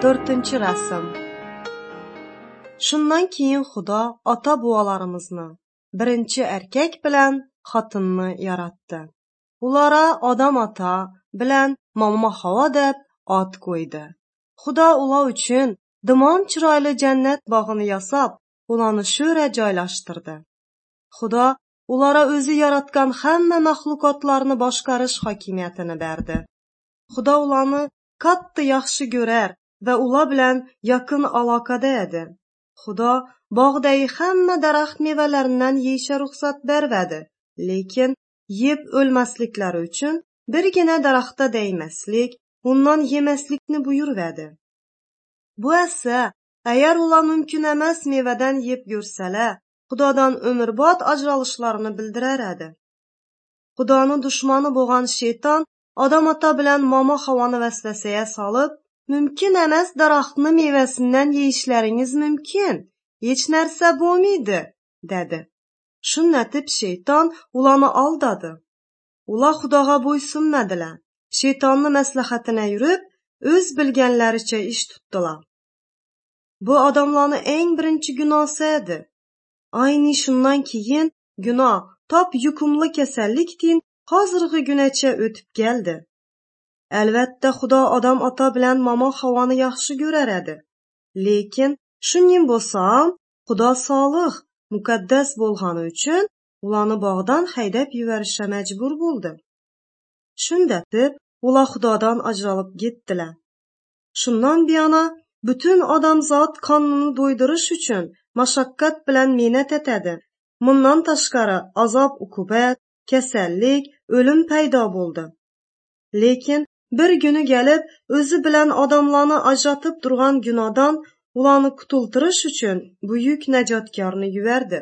To'rtinchi rasm. Shundan keyin Xudo ota-bobolarimizni, birinchi erkak bilan xotinni yaratdi. Ulara Odam ota bilan Momo Havo deb ot qo'ydi. Xudo ular uchun dimon chiroyli jannat bog'ini yasab, ularni sho'ra joylashtirdi. Xudo ulara o'zi yaratgan hamma maxluqotlarni boshqarish hokimiyatini berdi. Xudo ularni katta yaxshi ko'rar va ular bilan yaqin aloqada edi. Xudo bog'dagi hamma daraxt mevalaridan yeyishga ruxsat bermadi, lekin yeb o'lmasliklari uchun birgina daraxtga degmaslik, undan yemaslikni buyurvadi. Bu esa agar ular mumkin emas mevadan yeb ko'rsalar, Xudodan umrbod ajralishlarini bildirar edi. Xudoni dushmani bo'lgan shayton Odam ota bilan Momo Havoni vasvasaga solib, mumkin emas daraxtni mevasidan yeyishlaringiz mumkin, hech narsa bo'lmaydi, dedi. Shundatib shayton ularni aldadi. Ular Xudoga bo'ysunmadilar. Shaytonni maslahatini yurib, o'z bilganlaricha ish tutdilar. Bu odamlarning eng birinchi gunosi edi. Ayni shundan keyin gunoh top yuqumli kasallikdin hozirgi gunacha o'tib keldi. Albatta Xudo Odam ota bilan Momo Havoni yaxshi ko'rar edi. Lekin shuning bo'lsa ham Xudo solih, muqaddas bo'lgani uchun ularni bog'dan haydab yuborishga majbur bo'ldi. Shundatib ular Xudodan ajralib ketdilar. Shundan buyona butun odamzod qonini do'ydirish uchun mashaqqat bilan mehnat etadi. Bundan tashqari azob-uqubat, kasallik, o'lim paydo bo'ldi. Lekin bir kuni kelib o'zi bilan odamlarni ajratib turgan gunohdan ularni qutultirish uchun buyuk najotkorni yubordi.